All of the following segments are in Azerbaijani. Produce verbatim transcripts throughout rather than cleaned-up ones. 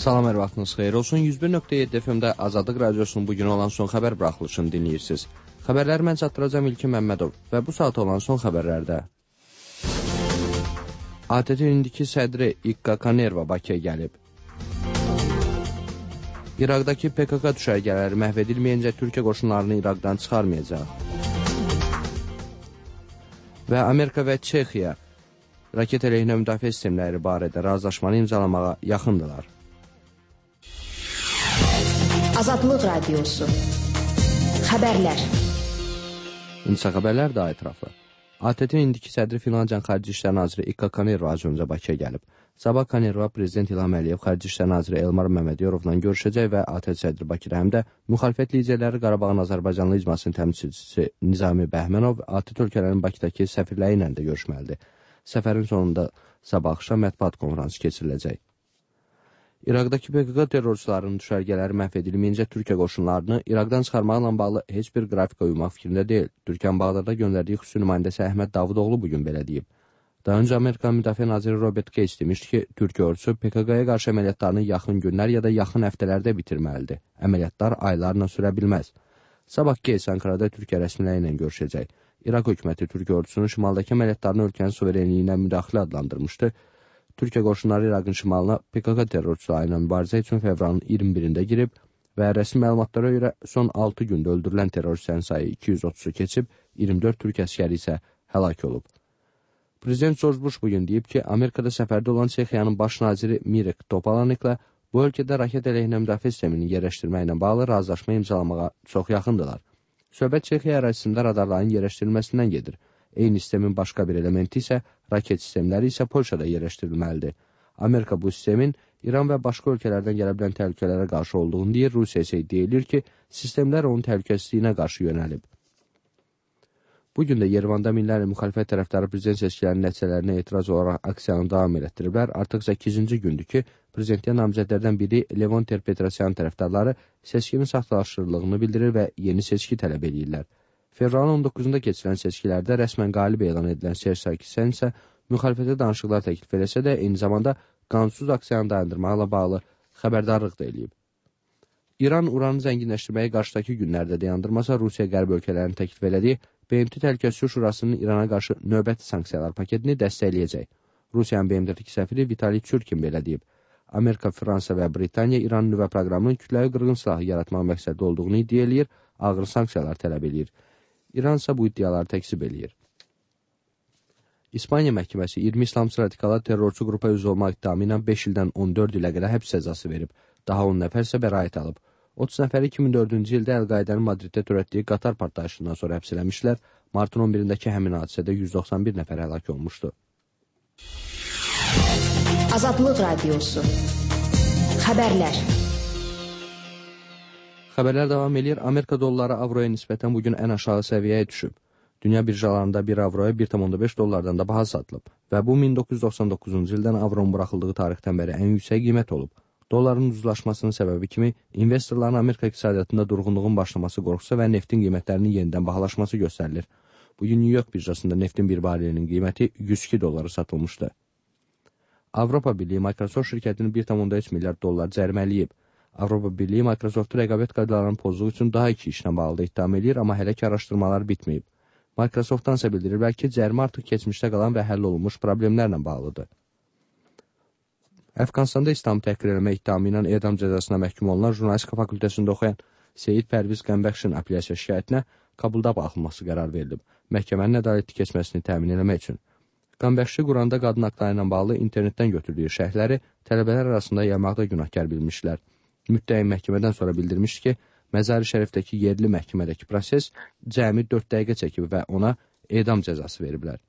Salam, hər vaxtınız xeyir olsun. yüz bir nöqtə yeddi F M-də Azadlıq Radiosunun bugün olan son xəbər buraxılışını dinləyirsiniz. Xəbərləri mən çatdıracağım İlkin Məmmədov və bu saat olan son xəbərlərdə. A T T-nin indiki sədri İkka Kanerva Bakıya gəlib. İraqdakı P K K düşərgələri məhv edilməyincə Türkiyə qoşunlarını İraqdan çıxarmayacaq. Və Amerika və Çexiya raket əleyhinə müdafiə sistemləri barədə razılaşmanı imzalamağa yaxındılar. Azadlıq Radiosu. Xəbərlər. İnsa xəbərlər daha ətraflı. A T T-nin indiki sədri Finlandiya Xarici İşlər Naziri İkka Kanerva az öncə Bakıya gəlib. Sabah Kanerva Prezident İlham Əliyev, Xarici İşlər Naziri Elmar Məmmədiyorovla görüşəcək və A T T sədri Bakıda həm də müxalifət liderləri Qarabağın Azərbaycanlı icmasının təmsilçisi Nizami Bəhmənov A T T ölkələrinin Bakıdakı səfirləri ilə də görüşməlidir. Səfərin sonunda sabah axşam mətbuat konfransı keçiriləcək. İraqdakı P K K terrorçularının düşərgələri məhv edilməyincə Türkiyə qoşunlarını İraqdan çıxarmaqla bağlı heç bir qrafika uymaq fikrində deyil. Türkiyənin Bağdadda göndərdiyi xüsusi nümayəndəsi Əhməd Davudoğlu bugün belə deyib. Daha öncə Amerikan Müdafiə Naziri Robert Gates demişdi ki, Türkiyə ordusu P K K-ya qarşı əməliyyatlarını yaxın günlər ya da yaxın həftələrdə bitirməlidir. Əməliyyatlar aylarla sürə bilməz. Sabah Gates Ankarada Türkiyə rəsmiləri ilə görüşəcək. İraq hökuməti Türkiyə ordusunun şimaldakı əməliyyatlarını ölkənin suverenliyinə müdaxilə adlandırmışdı. Türkiyə qoşunları İraqın şimalına P K K terrorçuları ilə mübarizə üçün fevralın iyirmi birində girib və rəsmi məlumatlara görə son altı gündə öldürülən terrorçilərin sayı iki yüz otuzu keçib, iyirmi dörd Türk əskəri isə həlak olub. Prezident George Bush bugün deyib ki, Amerikada səfərdə olan Çexiyanın baş naziri Mirek Topalaniklə bu ölkədə raket əleyhinə müdafiə sistemini yerləşdirməklə bağlı razılaşma imzalamağa çox yaxındılar. Söhbət Çexiya ərazisində radarların yerləşdirilməsindən gedir. Eyni sistemin başqa bir elementi isə raket sistemləri isə Polşada yerləşdirilməlidir. Amerika bu sistemin İran və başqa ölkələrdən gələ bilən təhlükələrə qarşı olduğunu deyir, Rusiya isə deyilir ki, sistemlər onun təhlükəsizliyinə qarşı yönəlib. Bugün də Yerevanda minlərlə müxalifət tərəfdarı prezident seçkilərinin nəticələrinə etiraz olaraq aksiyanı davam etdiriblər. Artıq səkkizinci gündür ki, prezidentliyə namizədlərdən biri Levon Ter-Petrosyan tərəfdarları seçkinin saxtalaşdırıldığını bildirir və yeni seçki tələb edirlər. Fevralın on doqquzunda keçirilən seçkilərdə rəsmən qalib elan edilən Serj Sarkisyan isə müxalifətə danışıqlar təklif eləsə də eyni zamanda qanunsuz aksiyanı dayandırmaqla bağlı xəbərdarlıq da eləyib. İran uranı zənginləşdirməyi qarşıdakı günlərdə dayandırmasa, Rusiya qərb ölkələrini təklif elədiyi B M T Təhlükəsizlik Şurasının İrana qarşı növbəti sanksiyalar paketini dəstəkləyəcək. Rusiyanın B M T-dəki səfiri Vitali Çurkin belə deyib. Amerika, Fransa və Britaniya İran nüvə proqramının kütləvi qırğın silahı yaratmaq məqsədli olduğunu iddia eləyir, ağır sanksiyalar tələb eləyir. İran isə bu iddiaları təkzib eləyir. İspaniya məhkəməsi iyirmi İslamçı radikala terrorçu qrupa üzv olmaq iddiamı ilə beş ildən on dörd ilə qədər həbs cəzası verib. Daha on nəfər isə bəraət alıb. otuz nəfəri iki min dördüncü ildə Əl-Qaidənin Madriddə törətdiyi qatar partlayışından sonra həbs eləmişlər. Martın on birindəki həmin hadisədə yüz doxsan bir nəfər həlak olmuşdu. Azadlıq Radiosu. Xəbərlər. Xəbərlər davam edir. Amerika dolları avroya nisbətən bugün ən aşağı səviyyəyə düşüb. Dünya birjalarında bir avroya bir tam on beş dollardan da baha satılıb və bu min doqquz yüz doxsan doqquzuncu ildən avronun buraxıldığı tarixdən bəri ən yüksək qiymət olub. Dolların ucuzlaşmasının səbəbi kimi investorların Amerika iqtisadiyyatında durğunluğun başlaması qorxusu və neftin qiymətlərinin yenidən bahalaşması göstərilir. Bugün New York birjasında neftin bir barelinin qiyməti yüz iki dollara satılmışdı. Avropa Birliyi Microsoft şirkətinin bir tam on üç milyard dollar cərimələyib. Avropa Birliyi Microsoft'u rəqabət qaydalarının pozduğu üçün daha iki işlə bağlı ittiham edir, amma hələ ki araşdırmalar bitməyib. Microsoft'dan isə bildiriblər ki, cərimə artıq keçmişdə qalan və həll olunmuş problemlərlə bağlıdır. Əfqanistanda İslamı təhqir eləmə ittihamı ilə edam cəzasına məhkum olunan jurnalistika fakültəsində oxuyan Seyid Pərviz Qəmbəxşin apellyasiya şikayətinə Kabulda baxılması qərar verilib, məhkəmənin ədalətli keçməsini təmin eləmək üçün. Qəmbəxşi Quranda qadın haqları ilə bağlı internetdən götürdüyü şərhləri tələbələr arasında yaymaqda günahkar bilmişlər. Müttəhim məhkəmədən sonra bildirmişdi ki, Məzari Şərifdəki yerli məhkəmədəki proses cəmi dörd dəqiqə çəkib və ona edam cəzası veriblər.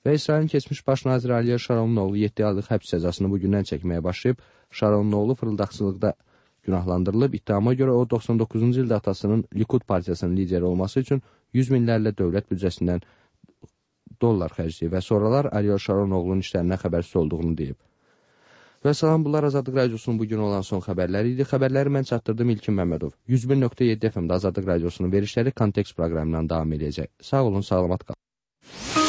Və İsrailin keçmiş baş naziri Ariel Sharonun oğlu yeddi aylıq həbs cəzasını bugündən çəkməyə başlayıb, Sharonun oğlu fırıldaqçılıqda günahlandırılıb. İttihama görə o doxsan doqquzuncu ildə atasının Likud partiyasının lideri olması üçün yüz minlərlə dövlət büdcəsindən dollar xərcləyib və sonralar Ariel Sharon oğlunun işlərindən xəbərsiz olduğunu deyib. Və salam, bunlar Azadlıq Radiosunun bugün olan son xəbərləri idi. Xəbərləri mən çatdırdım İlkin Məmmədov. yüz bir nöqtə yeddi F M-də Azadlıq Radiosunun verişləri Kontekst proqramından davam edəcək. Sağ olun, salamat qalın.